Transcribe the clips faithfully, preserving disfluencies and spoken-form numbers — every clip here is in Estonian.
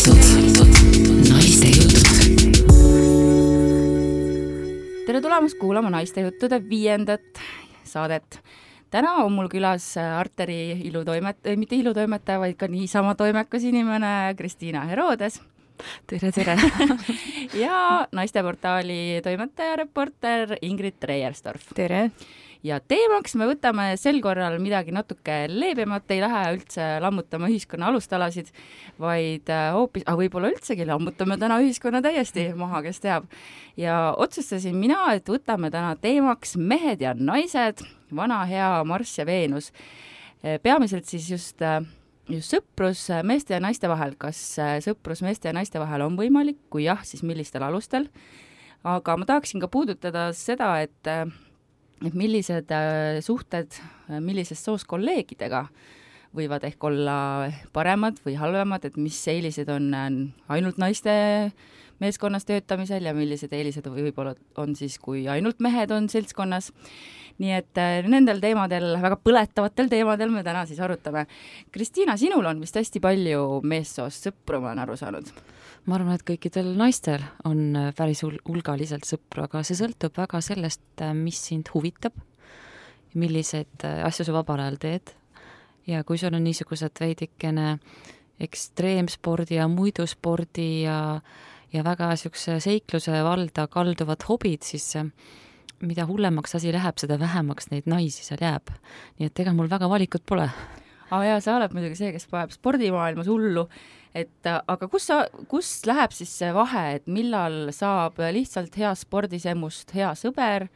käitud naiste jutud. Tere tulemast kuulama naiste juttude viiendat saadet. Täna on mul külas Arteri ilutoimet-, mitte ilutoimetaja, vaid ka niisama toimekas inimene Kristiina Herodes. Tere, tere. ja naisteportaali toimetaja reporter Ingrid Treierstorf. Tere. Ja teemaks me võtame sel korral midagi natuke leebemat, ei lähe üldse lammutama ühiskonna alustalasid, vaid hoopis, aga võib-olla üldsegi lammutame täna ühiskonna täiesti maha, kes teab. Ja otsustasin mina, et võtame täna teemaks mehed ja naised, vana hea Marss ja Veenus. Peamiselt siis just, just sõprus meeste ja naiste vahel. Kas sõprus meeste ja naiste vahel on võimalik? Kui jah, siis millistel alustel? Aga ma tahaksin ka puudutada seda, et et millised suhted, millisest soos kolleegidega võivad ehk olla paremad või halvemad, et mis eelised on ainult naiste meeskonnas töötamisel ja millised eelised võib-olla on siis, kui ainult mehed on seltskonnas. Nii et nendel teemadel, väga põletavatel teemadel me täna siis arutame. Kristiina, sinul on vist hästi palju meessoost sõpru, ma olen aru saanud. Ma arvan, et kõikidel naistel on päris hulgaliselt sõpru, aga see sõltub väga sellest, mis sind huvitab, milliseid asju sa vabal ajal teed. Ja kui sul on niisugused veidikene ekstreemspordi ja muiduspordi ja, ja väga niisuguse seikluse valda kalduvad hobid, siis mida hullemaks asi läheb, seda vähemaks neid naisi seal jääb. Nii et ega mul väga valikut pole. Ah, ja, sa oled muidugi see, kes paneb spordimaailmas hullu. Et, aga kus, sa, kus läheb siis see vahe, et millal saab lihtsalt hea spordisemust hea sõber?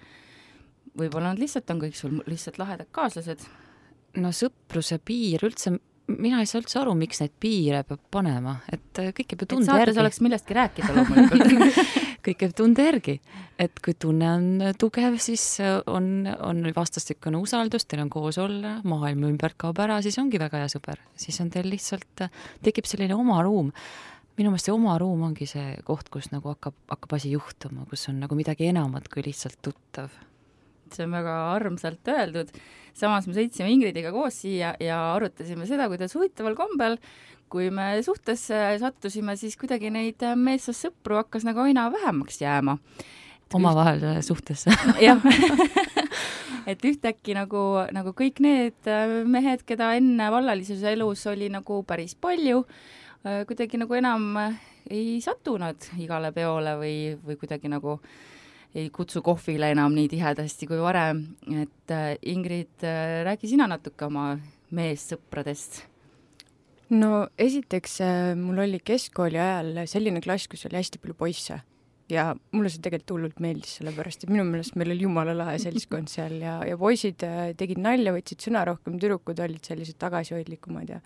Võib-olla nad lihtsalt on kõik sul lihtsalt lahedad kaaslased? No sõpruse piir üldse, mina ei saa üldse aru, miks neid piire peab panema. Et kõik peab tunde järgi. Et saates oleks millestki rääkida loomulikult. kõik peab tunde järgi. Et kui tunne on tugev, siis on, on vastastikune usaldus, teil on koos olla, maailma ümbert kaob ära, siis ongi väga hea sõber. Siis on teil lihtsalt, tekib selline oma ruum. Minu meelest see oma ruum ongi see koht, kus nagu hakkab, hakkab asi juhtuma, kus on nagu midagi enamat kui lihtsalt tuttav. See on väga armsalt öeldud. Samas me sõitsime Ingridiga koos siia ja arutasime seda, kuidas huvitaval kombel, kui me suhtesse sattusime, siis kuidagi neid meessoost sõpru hakkas nagu aina vähemaks jääma. Omavahel suhtesse. jah. et ühtäkki nagu, nagu kõik need mehed, keda enne vallalises elus oli nagu päris palju, kuidagi nagu enam ei satu nad igale peole või, või kuidagi nagu ei kutsu kohvile enam nii tihedasti kui varem. Et Ingrid, räägi sina natuke oma meessõpradest. No esiteks mul oli keskkooli ajal selline klass, kus oli hästi palju poisse ja mulle see tegelikult hullult meeldis, sellepärast, et minu meelest meil oli jumala lahe seltskond seal ja, ja poisid tegid nalja, võtsid sõna rohkem, tüdrukud olid sellised tagasihoidlikumad ja,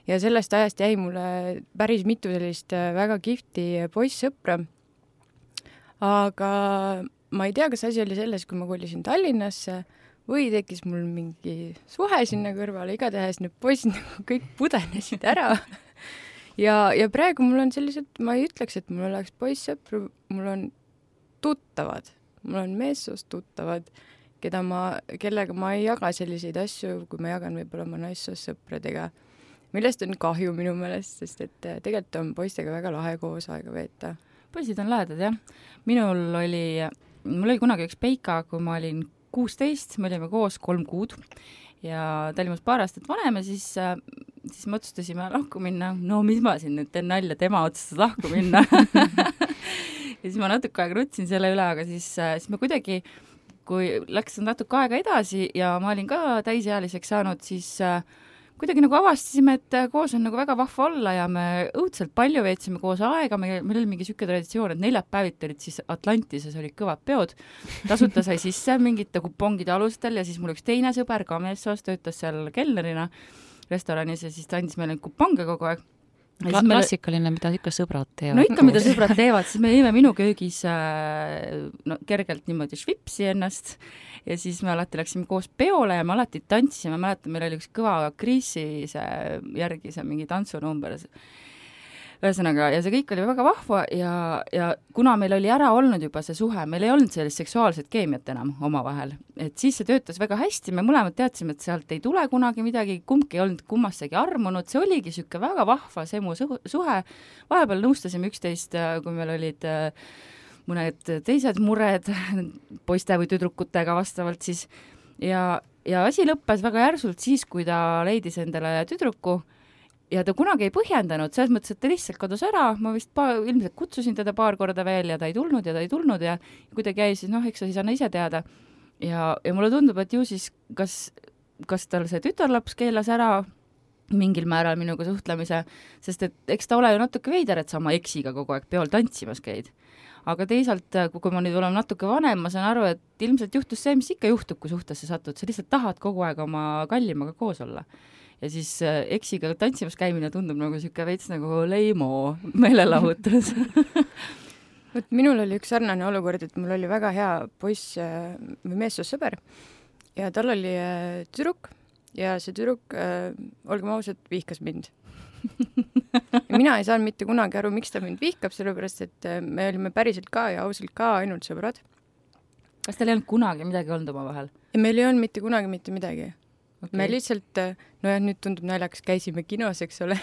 ja sellest ajast jäi mulle päris mitu sellist väga kihvti poissõpra. Aga ma ei tea, kas asi oli selles, kui ma kolisin Tallinnasse või tekkis mul mingi suhe sinna kõrvale, igatahes need poisid nagu kõik pudenesid ära. ja, ja praegu mul on sellised, ma ei ütleks, et mul oleks poissõpru, mul on tuttavad, mul on meessoost tuttavad, keda ma, kellega ma ei jaga selliseid asju, kui ma jagan võib-olla oma naissoost sõpradega, millest on kahju minu meelest, sest et tegelikult on poistega väga lahe koos aega veeta. Poisid on lahedad, jah. Minul oli, mul oli kunagi üks peika, kui ma olin kuusteist, me olime koos kolm kuud ja ta oli must paar aastat vanem ja siis, siis me otsustasime lahku minna. No mis ma siin nüüd teen nalja, tema otsustas lahku minna. ja siis ma natuke aega nutsin selle üle, aga siis, siis me kuidagi, kui läks natuke aega edasi ja ma olin ka täisealiseks saanud, siis kuidagi nagu avastasime, et koos on nagu väga vahva olla ja me õudselt palju veetsime koos aega, meil, meil oli mingi süke traditsioon, et neljad päevit olid siis Atlantises olid kõvad peod, tasuta sai sisse mingite kupongide alustel ja siis mul üks teine sõber ka meessoost töötas seal kelnerina restoranis ja siis ta andis meile kuponge kogu aeg. Kla- klassikaline, mida ikka sõbrad teevad. No ikka, mida sõbrad teevad, siis me jõime minu köögis no, kergelt niimoodi švipsi ennast ja siis me alati läksime koos peole ja me alati tantsime, mäletan, meil oli üks kõva kriisi see järgi see mingi tantsunumber. ühesõnaga, ja see kõik oli väga vahva ja, ja kuna meil oli ära olnud juba see suhe, meil ei olnud sellist seksuaalset keemiat enam omavahel, et siis see töötas väga hästi, me mõlemad teadsime, et sealt ei tule kunagi midagi, kumbki ei olnud kummastagi armunud, see oligi niisugune väga vahva semu suhe, vahepeal nõustasime üksteist, kui meil olid mõned teised mured poiste või tüdrukutega vastavalt siis ja, ja asi lõppes väga järsult siis, kui ta leidis endale tüdruku ja ta kunagi ei põhjendanud, selles mõttes, et ta lihtsalt kadus ära, ma vist pa, ilmselt kutsusin teda paar korda veel ja ta ei tulnud ja ta ei tulnud ja kui ta käis, siis noh, eks sa siis anna ise teada. Ja, ja mulle tundub, et ju siis kas, kas tal see tütarlaps keelas ära mingil määral minuga suhtlemise, sest et eks ta ole ju natuke veider, et sa oma eksiga kogu aeg peol tantsimas käid. Aga teisalt, kui ma nüüd olen natuke vanem, ma saan aru, et ilmselt juhtus see, mis ikka juhtub, kui suhtesse satud, sa lihtsalt tahad kogu aeg oma kallimaga koos olla. Ja siis eksiga tantsimas käimine tundub nagu siuke veits nagu leimo meelelahutus. Võt, minul oli üks sarnane olukord, et mul oli väga hea poiss või meessoossõber ja tal oli tüdruk ja see tüdruk, olgem ausad, vihkas mind. Ja mina ei saanud mitte kunagi aru, miks ta mind vihkab, sellepärast, et me olime päriselt ka ja ausalt ka ainult sõbrad. Kas teil ei olnud kunagi midagi olnud oma vahel? Ja meil ei olnud mitte kunagi mitte midagi. Okay. Me lihtsalt, no jah, nüüd tundub naljakas, käisime kinos, eks ole,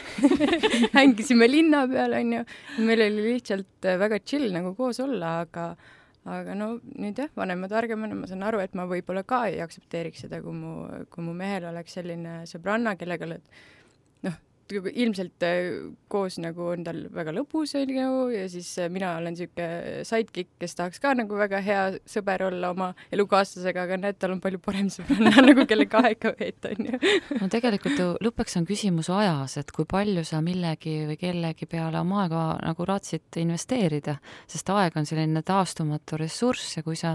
hängisime linna peal, on ju, meil oli lihtsalt väga chill nagu koos olla, aga, aga no nüüd jah, vanema targemana ma saan aru, et ma võib-olla ka ei aktsepteeriks seda, kui mu, kui mu mehel oleks selline sõbranna, kellega oled, noh, ilmselt koos nagu on tal väga lõbus ja siis mina olen siuke sidekick, kes tahaks ka nagu väga hea sõber olla oma elukaaslasega, aga näed, tal on palju parem sõbranna nagu kelle kahega veeta, on ju. No tegelikult ju lõpuks on küsimus ajas, et kui palju sa millegi või kellegi peale oma aega nagu raatsid investeerida, sest aeg on selline taastumatu ressurss ja kui sa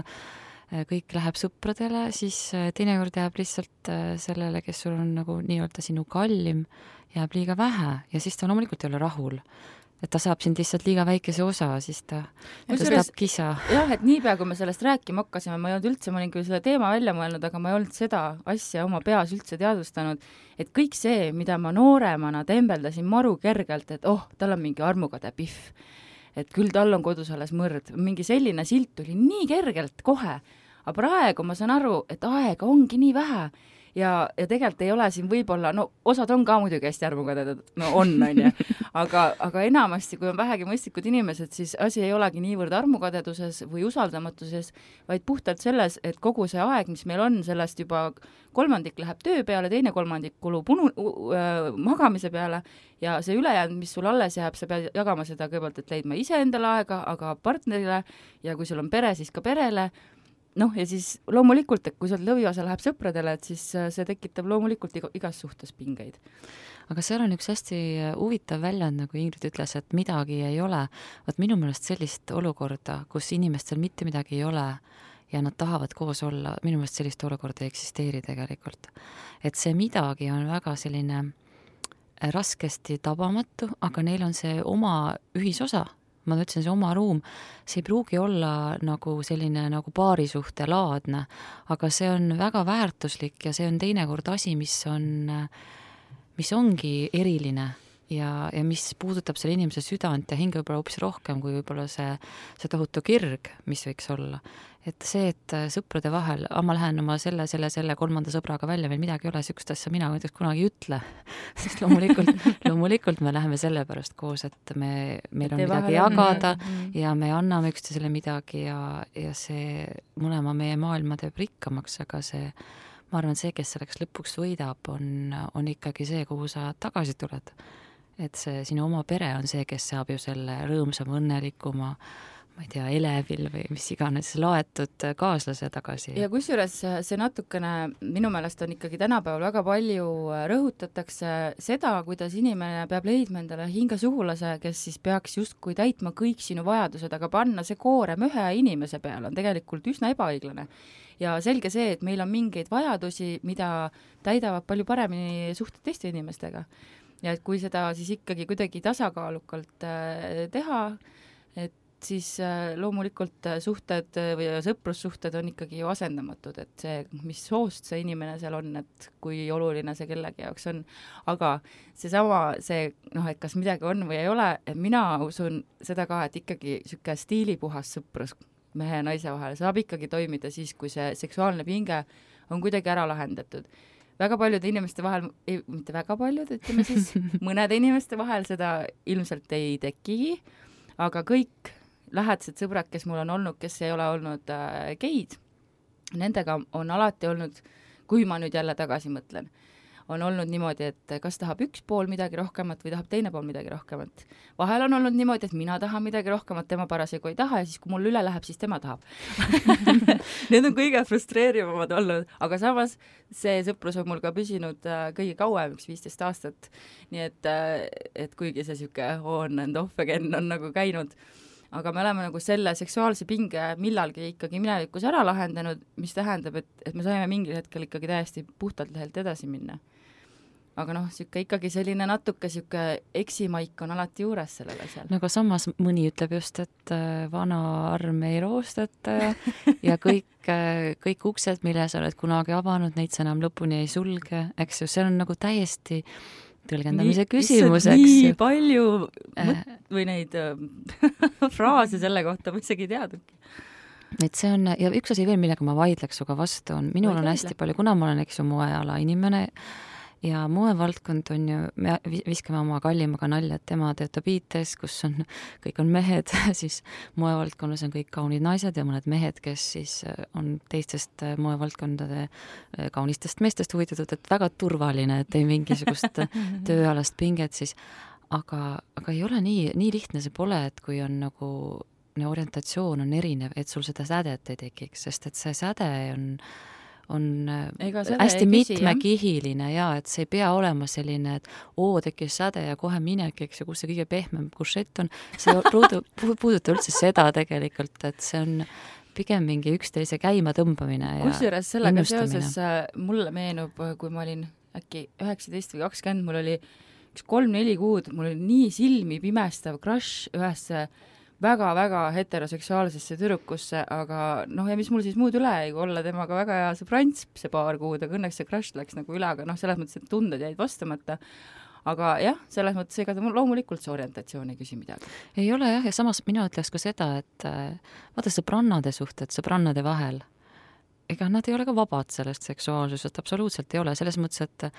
kõik läheb sõpradele, siis teinekord jääb lihtsalt sellele, kes sul on nagu nii-öelda sinu kallim, jääb liiga vähe ja siis ta loomulikult ei ole rahul. Et ta saab sind lihtsalt liiga väikese osa, siis ta tõstab kisa. Jah, et niipea, kui me sellest rääkima hakkasime, ma ei olnud üldse, ma olin küll selle teema välja mõelnud, aga ma ei olnud seda asja oma peas üldse teadvustanud, et kõik see, mida ma nooremana tembeldasin maru kergelt, et oh, tal on mingi armukade pihv, et küll tal on kodus alles mõrd, mingi selline silt tuli nii kergelt kohe, aga praegu ma saan aru, et aega ongi nii vähe ja, ja tegelikult ei ole siin võib-olla, no osad on ka muidugi hästi armukadedad, no on, on ju, aga, aga enamasti, kui on vähegi mõistlikud inimesed, siis asi ei olegi niivõrd armukadeduses või usaldamatuses, vaid puhtalt selles, et kogu see aeg, mis meil on, sellest juba kolmandik läheb töö peale, teine kolmandik kulub unu, uh, magamise peale ja see ülejäänud, mis sul alles jääb, sa pead jagama seda kõigepealt, et leidma ise endale aega, aga partnerile ja kui sul on pere, siis ka perele. Noh, ja siis loomulikult, et kui sealt lõviosa läheb sõpradele, et siis see tekitab loomulikult igas suhtes pingeid. Aga seal on üks hästi huvitav väljend, nagu Ingrid ütles, et midagi ei ole. Vaat minu meelest sellist olukorda, kus inimestel mitte midagi ei ole ja nad tahavad koos olla, minu meelest sellist olukorda ei eksisteeri tegelikult. Et see midagi on väga selline raskesti tabamatu, aga neil on see oma ühisosa. Ma ütlesin, see oma ruum, see ei pruugi olla nagu selline nagu paarisuhte laadne, aga see on väga väärtuslik ja see on teinekord asi, mis on, mis ongi eriline ja, ja mis puudutab selle inimese südant ja hinge võib-olla hoopis rohkem kui võib-olla see, see tohutu kirg, mis võiks olla. Et see, et sõprade vahel, ma lähen oma selle, selle, selle kolmanda sõbraga välja, meil midagi ei ole, sükst asja mina näiteks kunagi ei ütle. Sest loomulikult, loomulikult me läheme selle pärast koos, et me, meil on midagi jagada on... ja me anname üksteisele midagi ja, ja see mõlema meie maailma teeb rikkamaks, aga see, ma arvan, see, kes selleks lõpuks võidab, on, on ikkagi see, kuhu sa tagasi tuled. Et see sinu oma pere on see, kes saab ju selle rõõmsama, õnnelikuma ma ei tea, elevil või mis iganes laetud kaaslase tagasi. Ja kusjuures see natukene, minu meelest on ikkagi tänapäeval väga palju rõhutatakse seda, kuidas inimene peab leidma endale hingasugulase, kes siis peaks justkui täitma kõik sinu vajadused, aga panna see koorem ühe inimese peale on tegelikult üsna ebaõiglane. Ja selge see, et meil on mingeid vajadusi, mida täidavad palju paremini suhted teiste inimestega. Ja et kui seda siis ikkagi kuidagi tasakaalukalt teha, et siis loomulikult suhted või sõprussuhted on ikkagi ju asendamatud, et see, mis soost see inimene seal on, et kui oluline see kellegi jaoks on. Aga seesama, see, noh, et kas midagi on või ei ole, et mina usun seda ka, et ikkagi sihuke stiilipuhas sõprus mehe ja naise vahel saab ikkagi toimida siis, kui see seksuaalne pinge on kuidagi ära lahendatud. Väga paljude inimeste vahel, ei, mitte väga paljud, ütleme siis, mõnede inimeste vahel seda ilmselt ei tekigi, aga kõik lähedased sõbrad, kes mul on olnud, kes ei ole olnud äh, geid, nendega on alati olnud, kui ma nüüd jälle tagasi mõtlen, on olnud niimoodi, et kas tahab üks pool midagi rohkemat või tahab teine pool midagi rohkemat. Vahel on olnud niimoodi, et mina tahan midagi rohkemat, tema parasjagu ei taha ja siis, kui mul üle läheb, siis tema tahab. Need on kõige frustreerivamad olnud, aga samas see sõprus on mul ka püsinud kõige kauem, üks viisteist aastat. Nii et, et kuigi see siuke on and off again on nagu käinud, aga me oleme nagu selle seksuaalse pinge millalgi ikkagi minevikus ära lahendanud, mis tähendab, et, et me saime mingil hetkel ikkagi täiesti puhtalt lehelt edasi minna. Aga noh, siuke ikkagi selline natuke siuke eksimaik on alati juures sellele seal. No aga samas mõni ütleb just, et vana arm ei roostata ja, ja kõik, kõik uksed, mille sa oled kunagi avanud, neid sa enam lõpuni ei sulge, eks ju, see on nagu täiesti tõlgendamise nii, küsimus, eks nii ju. palju mõt- või neid fraase selle kohta ma isegi ei teadagi. Et see on, ja üks asi veel, millega ma vaidleks suga vastu on, minul on hästi palju, kuna ma olen, eks ju, moeala inimene ja moevaldkond on ju, me viskame oma kallimaga nalja, et tema töötab I T-s, kus on, kõik on mehed, siis moevaldkonnas on kõik kaunid naised ja mõned mehed, kes siis on teistest moevaldkondade kaunistest meestest huvitatud, et väga turvaline, et ei mingisugust tööalast pinget siis, aga, aga ei ole nii, nii lihtne see pole, et kui on nagu orientatsioon on erinev, et sul seda sädet ei tekiks, sest et see säde on on hästi mitmekihiline ja et see ei pea olema selline, et oo, tekkis säde ja kohe minek, eks ju, kus see kõige pehmem kušett on. See puudutab üldse seda tegelikult, et see on pigem mingi üksteise käima tõmbamine ja kusjuures sellega seoses mulle meenub, kui ma olin äkki üheksateist või kakskümmend, mul oli üks kolm-neli kuud, mul oli nii silmi pimestav crush ühesse väga-väga heteroseksuaalsesse tüdrukusse, aga noh, ja mis mul siis muud üle ei olla temaga väga hea sõbrants see paar kuud, aga õnneks see crush läks nagu üle, aga noh, selles mõttes, et tunded jäid vastamata. Aga jah, selles mõttes ega ta loomulikult see orientatsioon ei küsi midagi. Ei ole jah, ja samas mina ütleks ka seda, et vaata sõbrannade suhted, sõbrannade vahel, ega nad ei ole ka vabad sellest seksuaalsusest, absoluutselt ei ole, selles mõttes, et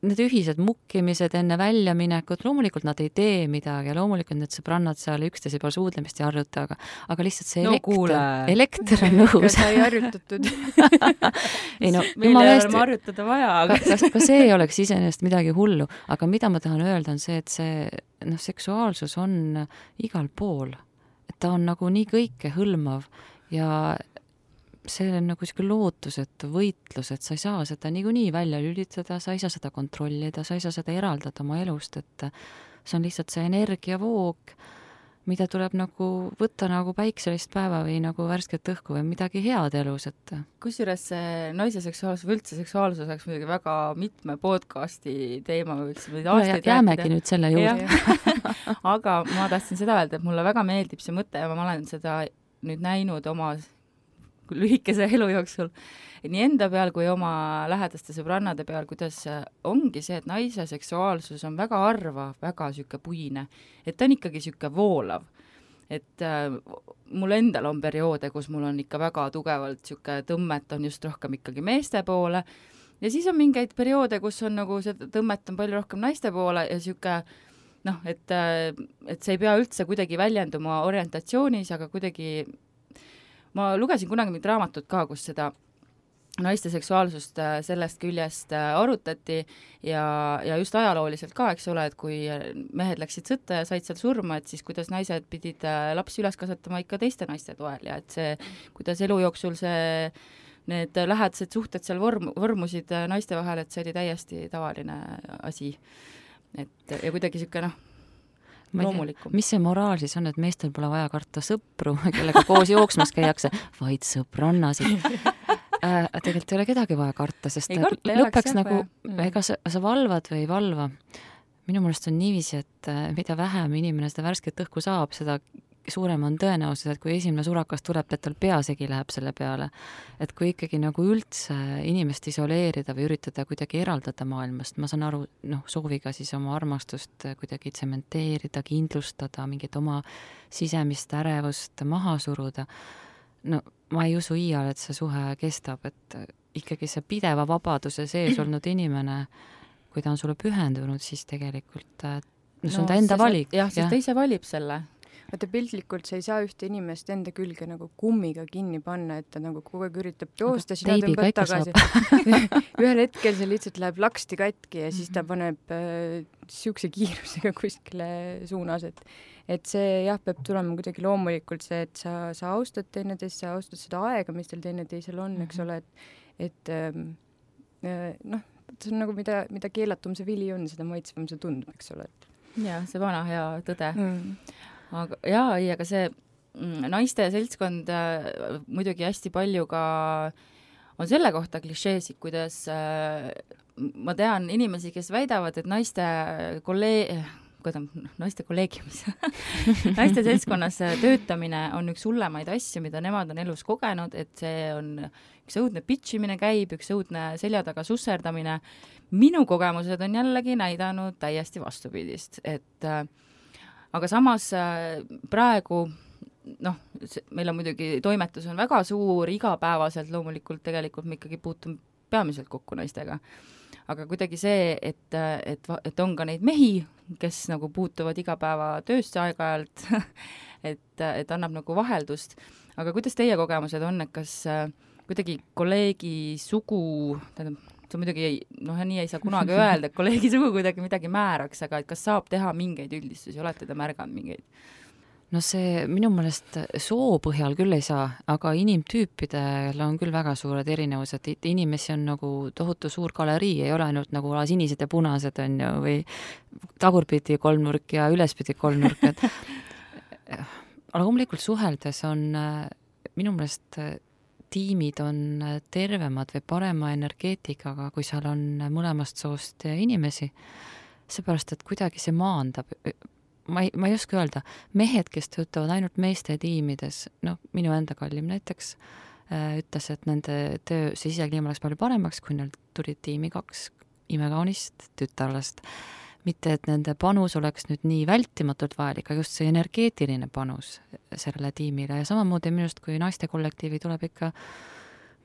need ühised mukkimised enne väljaminekut, loomulikult nad ei tee midagi ja loomulikult need sõbrannad seal üksteise peal suudlemist ei harjuta, aga, aga lihtsalt see no, elekter, elekter on õhus. Sai harjutatud. ei no, meil ei ole harjutada vaja. Aga... Ka, ka see ei oleks iseenesest midagi hullu, aga mida ma tahan öelda on see, et see noh, seksuaalsus on igal pool. Et ta on nagu nii kõike hõlmav ja see on nagu selline lootusetu võitlus, et sa ei saa seda niikuinii välja lülitada, sa ei saa seda kontrollida, sa ei saa seda eraldada oma elust, et see on lihtsalt see energiavoog, mida tuleb nagu võtta nagu päikselist päeva või nagu värsket õhku või midagi head elus, et kusjuures see naise seksuaalsus või üldse seksuaalsus oleks muidugi väga mitme podcasti teema või võiksime aastaid rääkida. Jäämegi nüüd selle juurde. Aga ma tahtsin seda öelda, et mulle väga meeldib see mõte ja ma olen seda nüüd näinud oma lühikese elu jooksul, nii enda peal kui oma lähedaste sõbrannade peal, kuidas ongi see, et naise seksuaalsus on väga harva, väga süke puine, et ta on ikkagi süke voolav. Et äh, mul endal on perioode, kus mul on ikka väga tugevalt süke tõmmet on just rohkem ikkagi meeste poole ja siis on mingeid perioode, kus on nagu see tõmmet on palju rohkem naiste poole ja süke noh, et, et see ei pea üldse kuidagi väljenduma orientatsioonis, aga kuidagi ma lugesin kunagi mingit raamatut ka, kus seda naiste seksuaalsust sellest küljest arutati ja, ja just ajalooliselt ka, eks ole, et kui mehed läksid sõtta ja said seal surma, et siis kuidas naised pidid lapsi üles kasvatama ikka teiste naiste toel ja et see, kuidas elu jooksul see, need lähedased suhted seal vorm, vormusid naiste vahel, et see oli täiesti tavaline asi. Et ja kuidagi siuke noh, loomulikum. Mis see moraal siis on, et meestel pole vaja karta sõpru, kellega koos jooksmas käiakse, vaid sõbrannasid. Äh, tegelikult ei ole kedagi vaja karta, sest ei karta, lõpeks nagu, ega sa, sa valvad või ei valva. Minu mõelest on niiviisi, et mida vähem inimene seda värsket õhku saab, seda suurem on tõenäosus, et kui esimene surakas tuleb, et tal peasegi läheb selle peale. Et kui ikkagi nagu üldse inimest isoleerida või üritada kuidagi eraldada maailmast, ma saan aru, noh, sooviga siis oma armastust kuidagi tsementeerida, kindlustada, mingit oma sisemist ärevust maha suruda. No ma ei usu iial, et see suhe kestab, et ikkagi see pideva vabaduse sees olnud inimene, kui ta on sulle pühendunud, siis tegelikult no, see on ta enda no, valik. Jah, siis ta ise valib selle. Vaata piltlikult sa ei saa ühte inimest enda külge nagu kummiga kinni panna, et ta nagu kogu aeg üritab joosta, sina tõmbad tagasi. Ühel hetkel see lihtsalt läheb laksti katki ja siis ta paneb äh, siukse kiirusega kuskile suunas, et et see jah, peab tulema kuidagi loomulikult see, et sa, sa austad teineteist, sa austad seda aega, mis teil teineteisel on, eks ole, et, et äh, noh, see on nagu mida, mida keelatum see vili on, seda maitsvam see tundub, eks ole. Jah, see vana hea tõde. Mm. Aga, jaa, ei, aga see naiste seltskond äh, muidugi hästi palju ka on selle kohta klišeesid, kuidas äh, ma tean inimesi, kes väidavad, et naiste kolleeg... Kodam, naiste kolleegiumis. naiste seltskonnas töötamine on üks hullemaid asju, mida nemad on elus kogenud, et see on üks õudne pitchimine käib, üks õudne selja taga susserdamine. Minu kogemused on jällegi näidanud täiesti vastupidist, et äh, aga samas äh, praegu noh, meil on muidugi toimetus on väga suur, igapäevaselt loomulikult tegelikult me ikkagi puutume peamiselt kokku naistega. Aga kuidagi see, et, et, et on ka neid mehi, kes nagu puutuvad igapäeva töösse aeg-ajalt, et, et annab nagu vaheldust. Aga kuidas teie kogemused on, et kas kuidagi kolleegi sugu, tähendab, see muidugi noh, nii ei saa kunagi öelda, et kolleegi sugu kuidagi midagi määraks, aga et kas saab teha mingeid üldistusi, olete te märganud mingeid? No see minu meelest soo põhjal küll ei saa, aga inimtüüpidel on küll väga suured erinevused. Inimesi on nagu tohutu suur galerii, ei ole ainult nagu sinised ja punased on ju, või tagurpidi kolmnurk ja ülespidi kolmnurk. Et... aga loomulikult suheldes on minu meelest tiimid on tervemad või parema energeetikaga, kui seal on mõlemast soost inimesi. Seepärast, et kuidagi see maandab... Ma ei, ma ei oska öelda, mehed, kes töötavad ainult meeste tiimides, noh, minu enda kallim näiteks, äh, ütles, et nende töö sisekliima läks palju paremaks, kui neil tulid tiimi kaks imekaunist tütarlast. Mitte, et nende panus oleks nüüd nii vältimatult vajalik, aga just see energeetiline panus sellele tiimile. Ja samamoodi minust, kui naiste kollektiivi tuleb ikka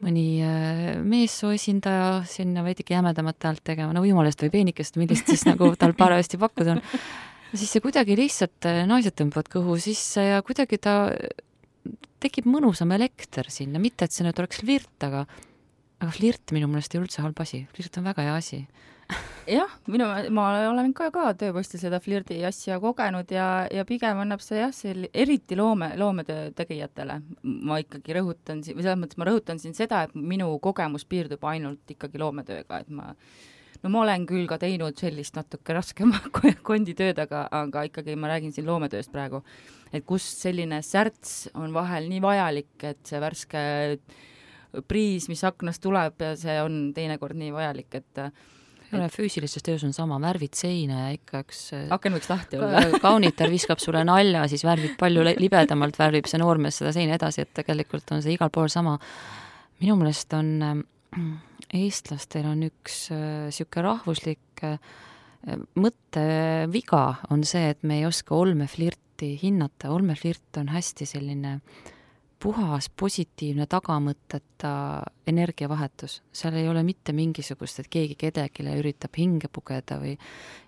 mõni äh, meessoo esindaja sinna veidike jämedamat häält tegema, no jumalast või peenikest, millist siis nagu tal parajasti pakkuda on. Siis see kuidagi lihtsalt naised tõmbavad kõhu sisse ja kuidagi ta tekib mõnusam elekter sinna, mitte et see nüüd oleks flirt, aga, aga flirt minu meelest ei üldse halb asi. Flirt on väga hea asi. Jah, minu, ma olen ka, ka tööpostil seda flirdi asja kogenud ja, ja pigem annab see jah, see eriti loome, loometöö tegijatele. Ma ikkagi rõhutan, või selles mõttes ma rõhutan siin seda, et minu kogemus piirdub ainult ikkagi loometööga, et ma no ma olen küll ka teinud sellist natuke raskema konditööd, aga, aga ikkagi ma räägin siin loometööst praegu, et kus selline särts on vahel nii vajalik, et see värske priis, mis aknast tuleb, ja see on teinekord nii vajalik, et et füüsilises töös on sama, värvid seina ja ikka üks aken võiks lahti olla. Kaunitar viskab sulle nalja, siis värvid palju libedamalt, värvib see noormees seda seina edasi, et tegelikult on see igal pool sama. Minu meelest on eestlastel on üks siuke rahvuslik mõtteviga on see, et me ei oska olmeflirti hinnata. Olmeflirt on hästi selline puhas, positiivne tagamõtteta energiavahetus. Seal ei ole mitte mingisugust, et keegi kedagile üritab hinge pugeda või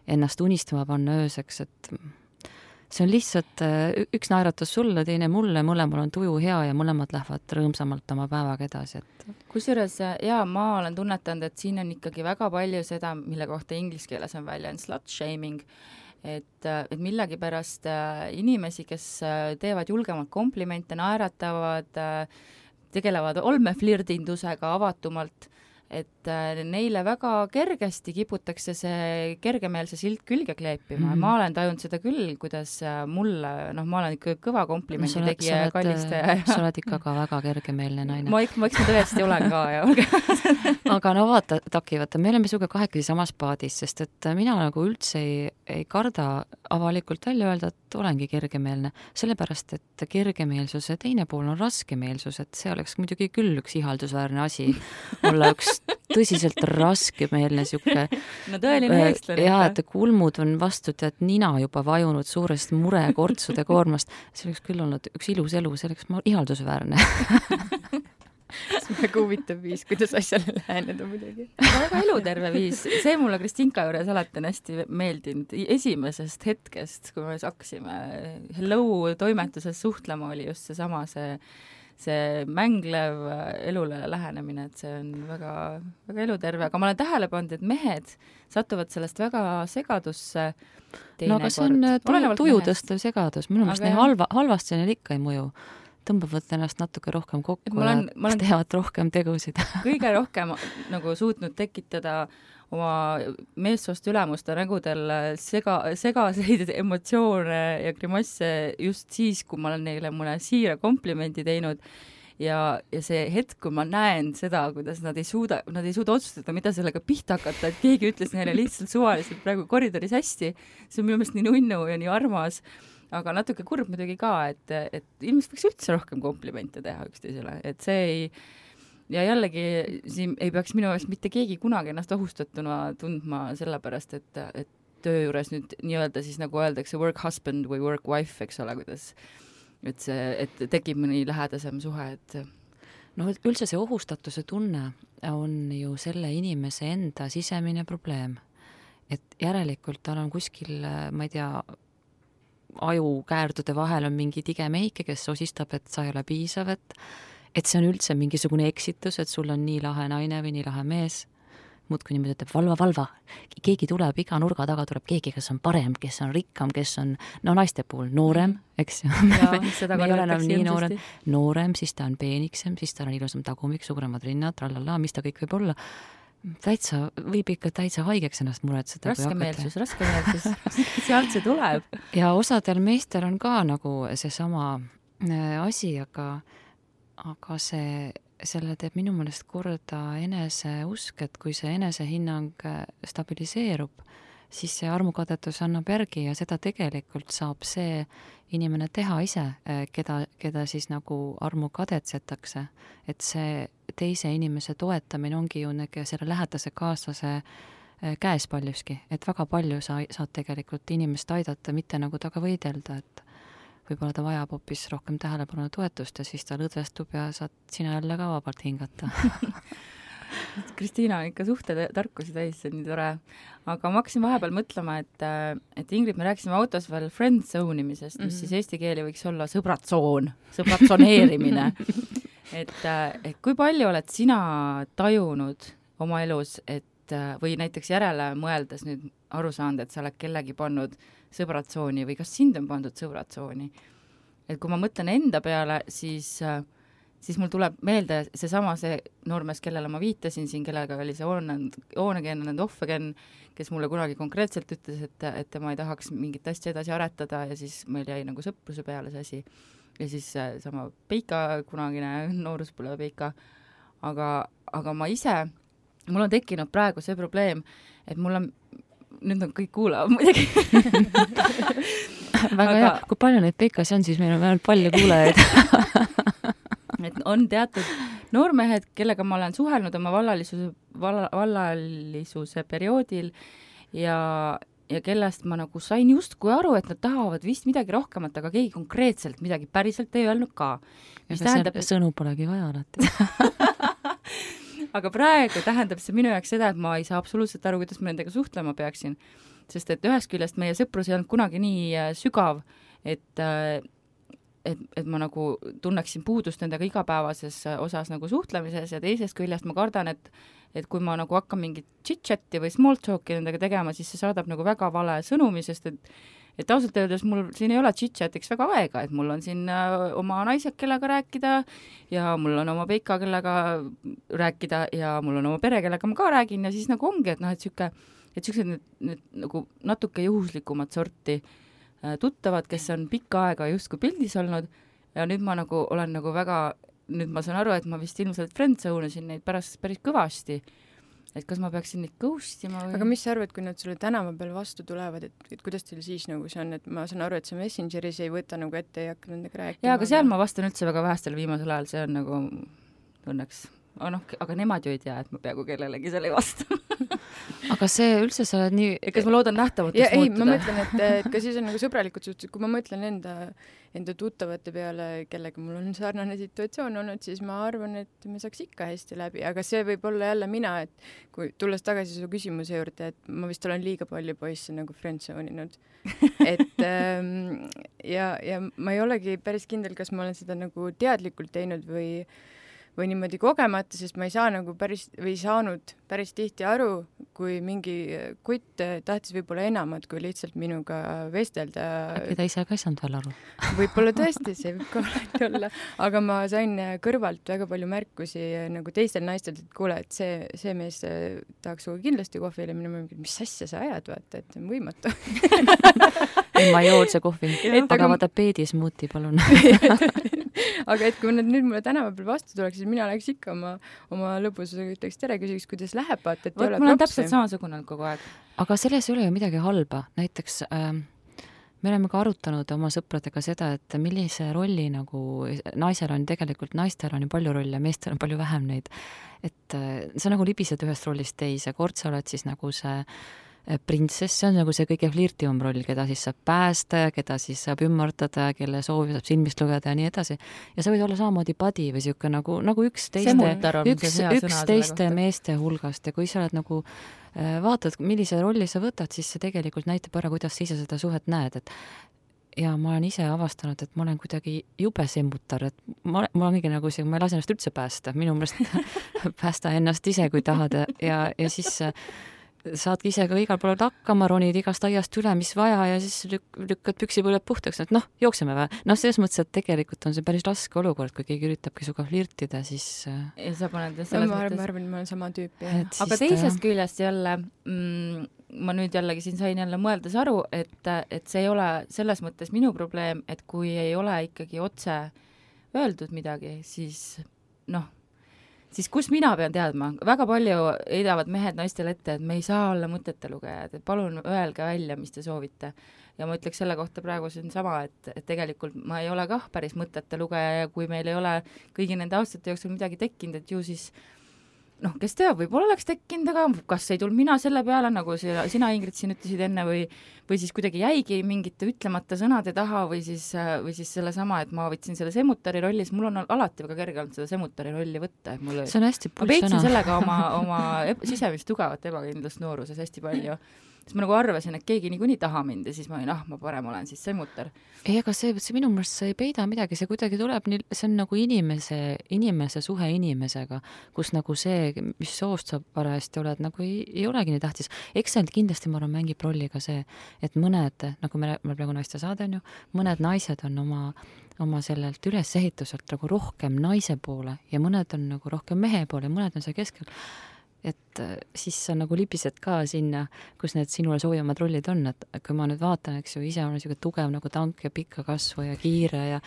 ennast unistama panna ööseks, et see on lihtsalt üks naeratus sulle, teine mulle, mõlemal on tuju hea ja mõlemad lähevad rõõmsamalt oma päevaga edasi. Et... kusjuures, jaa, ma olen tunnetanud, et siin on ikkagi väga palju seda, mille kohta inglise keeles on väljend slut shaming, et, et millegipärast inimesi, kes teevad julgemalt komplimente, naeratavad, tegelevad olmeflirdindusega avatumalt, et, et neile väga kergesti kiputakse see kergemeelse silt külge kleepima mm. ja ma olen tajunud seda küll, kuidas mulle, noh, ma olen ikka kõva komplimendi no, tegija ja kallistaja. Sa oled ikka ka väga kergemeelne naine. Ma ikka, ma ikka tõesti olen ka. Ja aga no vaata, Taki, vaata, me oleme suga kahekesi samas paadis, sest et mina nagu üldse ei, ei karda avalikult välja öelda, et olengi kergemeelne. Sellepärast, et kergemeelsuse teine pool on raskemeelsus, et see oleks muidugi küll üks ihaldusväärne asi olla üks tõsiselt raskemeelne siuke. No tõeline eestlane. Ja, et kulmud on vastu tead nina juba vajunud suurest murekortsude koormast. See oleks küll olnud üks ilus elu, see oleks ihaldusväärne. See on väga huvitav viis, kuidas asjale läheneda muidugi. Väga eluterve viis. See mulle Kristinka juures alati on hästi meeldinud. Esimesest hetkest, kui me hakkasime Hello toimetuses suhtlema, oli just see sama see see mänglev elule lähenemine, et see on väga, väga eluterve, aga ma olen tähele pannud, et mehed satuvad sellest väga segadusse teinekord. No aga see on tujutõstev segadus, minu meelest neil halva, halvasti neil ikka ei mõju. Tõmbavad ennast natuke rohkem kokku ja olen, teevad rohkem tegusid. Kõige rohkem nagu suutnud tekitada oma meessoost ülemuste nägudel sega, segaseid emotsioone ja grimasse just siis, kui ma olen neile mõne siira komplimendi teinud ja, ja see hetk, kui ma näen seda, kuidas nad ei suuda, nad ei suuda otsustada, mida sellega pihta hakata, et keegi ütles neile lihtsalt suvaliselt praegu koridoris hästi, see on minu meelest nii nunnu ja nii armas, aga natuke kurb muidugi ka, et, et ilmselt võiks üldse rohkem komplimente teha üksteisele, et see ei ja jällegi siin ei peaks minu eest mitte keegi kunagi ennast ohustatuna tundma sellepärast, et, et töö juures nüüd nii-öelda siis nagu öeldakse work husband või work wife, eks ole, kuidas, et see, et tekib mõni lähedasem suhe, et no üldse see ohustatuse tunne on ju selle inimese enda sisemine probleem, et järelikult tal on kuskil, ma ei tea, ajukäärdude vahel on mingi tige mehike, kes osistab, et sa ei ole piisav, et et see on üldse mingisugune eksitus, et sul on nii lahe naine või nii lahe mees, muudkui niimoodi ütleb, valva, valva, keegi tuleb, iga nurga taga tuleb keegi, kes on parem, kes on rikkam, kes on, no naiste puhul noorem, eks ju, me ei ole enam nii noorem, noorem, siis ta on peeniksem, siis ta on ilusam tagumik, suuremad rinnad, trallala, mis ta kõik võib olla, täitsa, võib ikka täitsa haigeks ennast muretseda. Raskemeelsus, raskemeelsus, sealt see tuleb. Ja osadel meestel on ka nagu seesama asi, aga aga see, selle teeb minu meelest korda eneseusk, et kui see enesehinnang stabiliseerub, siis see armukadetus annab järgi ja seda tegelikult saab see inimene teha ise, keda, keda siis nagu armukadetsetakse. Et see teise inimese toetamine ongi ju selle lähedase kaaslase käes paljuski, et väga palju sa saad tegelikult inimest aidata, mitte nagu taga võidelda, et võib-olla ta vajab hoopis rohkem tähelepanu toetust ja siis ta lõdvestub ja saad sina jälle ka vabalt hingata. Kristiina on ikka suhtetarkusi täis, see on nii tore. Aga ma hakkasin vahepeal mõtlema, et, et Ingrid, me rääkisime autos veel friend zone imisest, mis mm -hmm. siis eesti keeli võiks olla sõbratsoon, sõbratsoneerimine. et, et kui palju oled sina tajunud oma elus, et või näiteks järele mõeldes nüüd aru saanud, et sa oled kellegi pannud sõbratsooni või kas sind on pandud sõbratsooni. Et kui ma mõtlen enda peale, siis, siis mul tuleb meelde seesama see noormees, kellele ma viitasin siin, kellega oli see Oonegen and Offegen, kes mulle kunagi konkreetselt ütles, et, et tema ei tahaks mingit asja edasi aretada ja siis meil jäi nagu sõpruse peale see asi. Ja siis sama Peika, kunagine nooruspõlve Peika. Aga, aga ma ise, mul on tekkinud praegu see probleem, et mul on nüüd on kõik kuulavad muidugi. Väga aga... hea, kui palju neid Peikasi on, siis meil on vähemalt palju kuulajaid. et on teatud noormehed, kellega ma olen suhelnud oma vallalisuse, valla, vallalisuse perioodil ja, ja kellest ma nagu sain justkui aru, et nad tahavad vist midagi rohkemat, aga keegi konkreetselt midagi päriselt ei öelnud ka. Mis tähendab, et... sõnu polegi vaja alati. Aga praegu tähendab see minu jaoks seda, et ma ei saa absoluutselt aru, kuidas ma nendega suhtlema peaksin. Sest et ühest küljest meie sõprus ei olnud kunagi nii sügav, et, et, et ma nagu tunneksin puudust nendega igapäevases osas nagu suhtlemises ja teisest küljest ma kardan, et, et kui ma nagu hakkan mingit chit-chatti või small talki nendega tegema, siis see saadab nagu väga vale sõnumi, sest et, et ausalt öeldes mul siin ei ole chit-chatiks väga aega, et mul on siin oma naised, kellega rääkida ja mul on oma peika, kellega rääkida ja mul on oma pere, kellega ma ka räägin ja siis nagu ongi, et noh, et siuke, et siuksed nüüd, nüüd nagu natuke juhuslikumat sorti tuttavad, kes on pikka aega justkui pildis olnud ja nüüd ma nagu olen nagu väga, nüüd ma saan aru, et ma vist ilmselt friendzone isin neid pärast päris kõvasti. Et kas ma peaksin neid ghostima või? Aga mis sa arvad, kui nad sulle tänava peal vastu tulevad, et, et kuidas teil siis nagu see on, et ma saan aru, et see Messengeris ei võta nagu ette ja hakka nendega rääkima. Jaa, aga seal ma vastan üldse väga vähestel viimasel ajal, see on nagu õnneks. Aga, noh, aga nemad ju ei tea, et ma peaaegu kellelegi seal ei vasta. Aga see üldse sa oled nii... Ja kas ma loodan nähtamatus ja, muutuda? Ei, ma mõtlen, et, et ka siis on nagu sõbralikud suhted, kui ma mõtlen enda, enda tuttavate peale, kellega mul on sarnane situatsioon olnud, siis ma arvan, et me saaks ikka hästi läbi, aga see võib olla jälle mina, et kui tulles tagasi su küsimuse juurde, et ma vist olen liiga palju poisse nagu friendzoninud. Et ähm, ja, ja ma ei olegi päris kindel, kas ma olen seda nagu teadlikult teinud või või niimoodi kogemata, sest ma ei saa nagu päris, või saanud päris tihti aru, kui mingi kutt tahtis võib-olla enamat, kui lihtsalt minuga vestelda. Äkki ta ise ka ei saanud veel aru? Võib-olla tõesti, see võib ka alati olla. Aga ma sain kõrvalt väga palju märkusi nagu teistel naistel, et kuule, et see, see mees tahaks suga kindlasti kohvile minna, mis asja sa ajad, vaata, et see on võimatu. ei, ma ei jood see kohvi. Aga, aga vaata peedis muuti, palun. Aga et kui nad nüüd mulle tänava peal vastu tuleks, siis mina läheks ikka oma, oma lõbusega ütleks tere, küsiks, kuidas läheb, vaata, et Võt, ei ole propsi. Mul on propsi. täpselt samasugune kogu aeg. Aga selles ei ole ju midagi halba. Näiteks ähm, me oleme ka arutanud oma sõpradega seda, et millise rolli nagu naisel on tegelikult, naistel on ju palju rolle, meestel on palju vähem neid. Et äh, sa nagu libised ühest rollist teise, kord sa oled siis nagu see printsess, see on nagu see kõige flirtivam roll, keda siis saab päästa ja keda siis saab ümmardada, kelle soovi saab silmist lugeda ja nii edasi. Ja sa võid olla samamoodi padi või siuke nagu, nagu üks teiste, üks, üks teiste meeste hulgast ja kui sa oled nagu vaatad, millise rolli sa võtad, siis see tegelikult näitab ära, kuidas sa ise seda suhet näed, et ja ma olen ise avastanud, et ma olen kuidagi jube semmutar, et ma, ma olengi nagu see, ma ei lase ennast üldse päästa, minu meelest päästa ennast ise, kui tahad ja, ja siis saadki ise ka igal pool hakkama, ronid igast aiast üle, mis vaja ja siis lük- lükkad püksipõled puhtaks, et noh, jookseme vä. Noh, selles mõttes, et tegelikult on see päris raske olukord, kui keegi üritabki suga flirtida, siis... Ja sa paned selles no, ma mõttes... Ma arvan, et ma olen sama tüüp. Aga teisest küljest jälle, mm, ma nüüd jällegi siin sain jälle mõeldes aru, et, et see ei ole selles mõttes minu probleem, et kui ei ole ikkagi otse öeldud midagi, siis noh, siis kus mina pean teadma? Väga palju heidavad mehed naistele ette, et me ei saa olla mõtete lugejad, et palun öelge välja, mis te soovite. Ja ma ütleks selle kohta praegu siin sama, et, et tegelikult ma ei ole kah päris mõtete lugeja ja kui meil ei ole kõigi nende aastate jooksul midagi tekkinud, et ju siis noh, kes teab, võib-olla oleks tekkinud, aga kas ei tulnud mina selle peale, nagu sina, sina Ingrid siin ütlesid enne või, või siis kuidagi jäigi mingite ütlemata sõnade taha või siis, või siis selle sama, et ma võtsin selle semutari rolli, siis mul on alati väga kerge olnud seda semutari rolli võtta. Mul, see on hästi pull sõna. Ma peitsin sellega oma, oma sisemist tugevat ebakindlust nooruses hästi palju. Siis ma nagu arvasin, et keegi niikuinii taha mind ja siis ma olin, ah, ma parem olen siis semmutar. Ei, aga see, see minu mõelest see ei peida midagi, see kuidagi tuleb, see on nagu inimese, inimese suhe inimesega, kus nagu see, mis soost sa parajasti oled, nagu ei, ei olegi nii tähtis. Eks see kindlasti, ma arvan, mängib rolli ka see, et mõned, nagu me, me praegu naiste saade on ju, mõned naised on oma, oma sellelt ülesehituselt nagu rohkem naise poole ja mõned on nagu rohkem mehe poole ja mõned on see keskel. Et siis sa nagu libised ka sinna, kus need sinule soovimad rollid on, et kui ma nüüd vaatan, eks ju, ise olen siuke tugev nagu tank ja pikka kasvu ja kiire ja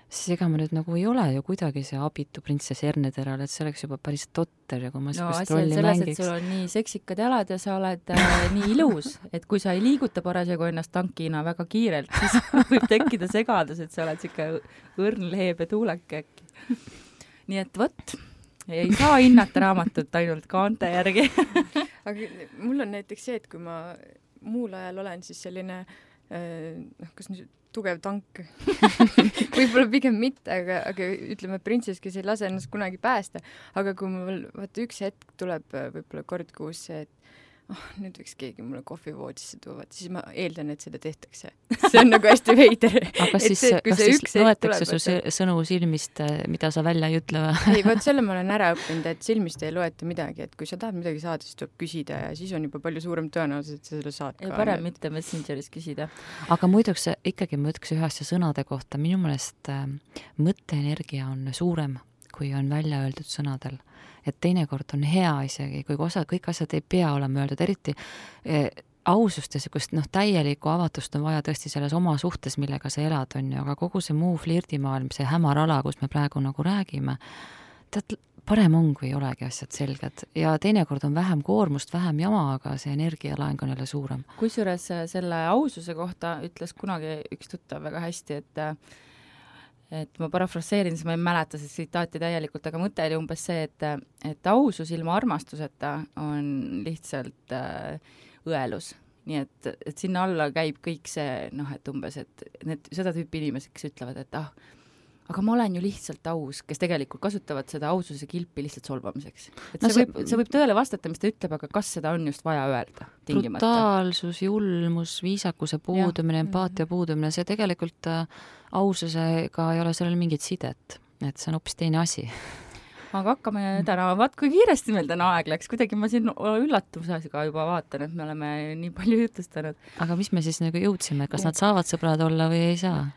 siis ega ma nüüd nagu ei ole ju kuidagi see abitu printsess Ernederal, et see oleks juba päris totter ja kui ma no, sihukest rolli selles, mängiks. Et sul on nii seksikad jalad ja sa oled äh, nii ilus, et kui sa ei liiguta parasjagu ennast tankina väga kiirelt, siis võib tekkida segadus, et sa oled siuke õrn leebe tuuleke äkki. Nii et võt ei saa hinnata raamatut ainult kaante järgi. Aga mul on näiteks see, et kui ma muul ajal olen siis selline noh, kas nüüd tugev tank võib-olla pigem mitte, aga, aga ütleme printsess, kes ei lase ennast kunagi päästa, aga kui mul vaata üks hetk tuleb võib-olla kord kuus see, et oh, nüüd võiks keegi mulle kohvi voodisse tuua, siis ma eeldan, et seda tehtakse. See on nagu hästi veider. aga siis, see, kas siis loetakse su sõnu silmist, mida sa välja ei ütle? ei, vaat selle ma olen ära õppinud, et silmist ei loeta midagi, et kui sa tahad midagi saada, siis tuleb küsida ja siis on juba palju suurem tõenäosus, et sa selle saad ka. Ja parem mitte Messengeris küsida. Aga muiduks ikkagi ma ütleks ühe asja sõnade kohta. Minu meelest mõtteenergia on suurem, kui on välja öeldud sõnadel. Et teinekord on hea isegi, kui osa, kõik asjad ei pea olema öeldud, eriti eh, ausust ja sellist noh, täielikku avatust on vaja tõesti selles oma suhtes, millega sa elad, on ju, aga kogu see muu flirdimaailm, see hämarala, kus me praegu nagu räägime, tead, parem on, kui ei olegi asjad selged ja teinekord on vähem koormust, vähem jama, aga see energialaeng on jälle suurem. Kusjuures selle aususe kohta ütles kunagi üks tuttav väga hästi, et et ma parafraseerin, siis ma ei mäleta see tsitaati täielikult, aga mõte oli umbes see, et, et ausus ilma armastuseta on lihtsalt äh, õelus. Nii et, et sinna alla käib kõik see, noh, et umbes, et need, seda tüüpi inimesed, kes ütlevad, et ah, aga ma olen ju lihtsalt aus, kes tegelikult kasutavad seda aususe kilpi lihtsalt solvamiseks. Et no see, see, võib, see võib tõele vastata, mis ta ütleb, aga kas seda on just vaja öelda tingimata? Brutaalsus, julmus, viisakuse puudumine, empaatia puudumine, see tegelikult äh, aususega ei ole sellel mingit sidet, et see on hoopis teine asi. Aga hakkame täna, vaat kui kiiresti meil täna aeg läks, kuidagi ma siin üllatusega juba vaatan, et me oleme nii palju jutustanud. Aga mis me siis nagu jõudsime, kas nad saavad sõbrad olla või ei saa?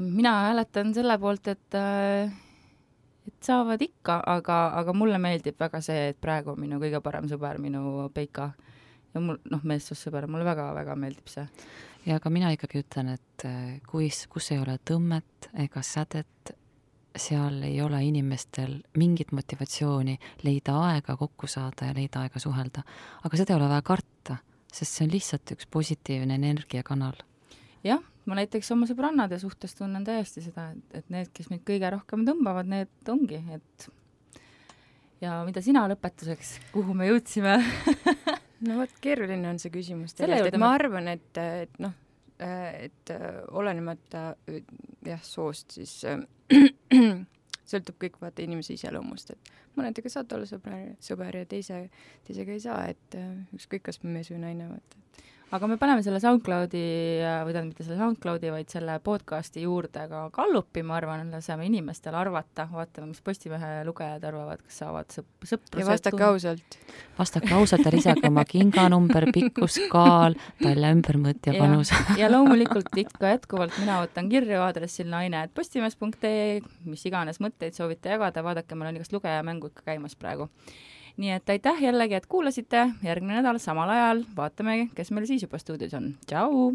Mina hääletan selle poolt, et, et saavad ikka, aga, aga mulle meeldib väga see, et praegu on minu kõige parem sõber, minu Peika. Ja mul, noh, meessussõber, mulle väga-väga meeldib see. Ja aga mina ikkagi ütlen, et kus, kus ei ole tõmmet ega sädet, seal ei ole inimestel mingit motivatsiooni leida aega kokku saada ja leida aega suhelda. Aga seda ei ole vaja karta, sest see on lihtsalt üks positiivne energiakanal. Jah, ma näiteks oma sõbrannade suhtes tunnen täiesti seda, et need, kes meid kõige rohkem tõmbavad, need ongi. Et ja mida sina lõpetuseks, kuhu me jõudsime? No võt, keeruline on see küsimus. Tegelikult, et ma arvan, et, et noh, et olenemata jah, soost, siis sõltub kõik vaata inimese iseloomust, et mõnedega saad olla sõber, sõber ja teise, teisega ei saa, et ükskõik, kas mees või naine vaata. Aga me paneme selle SoundCloudi, või tähendab mitte selle SoundCloudi, vaid selle podcasti juurde ka kallupi, ma arvan, laseme inimestele arvata, vaatame, mis Postimehe lugejad arvavad, kas saavad sõp- sõprused. Ja vastake ausalt. Vastake ausalt ja lisage oma kinganumber, pikkus, kaal, talja ümbermõõt ja panus. Ja, ja loomulikult ikka jätkuvalt mina võtan kirju aadressil naine et postimees punkt ee, mis iganes mõtteid soovite jagada, vaadake, meil on igast lugejamängu ikka käimas praegu. Nii et aitäh jällegi, et kuulasite, järgmine nädal samal ajal vaatame, kes meil siis juba stuudios on. Tšau!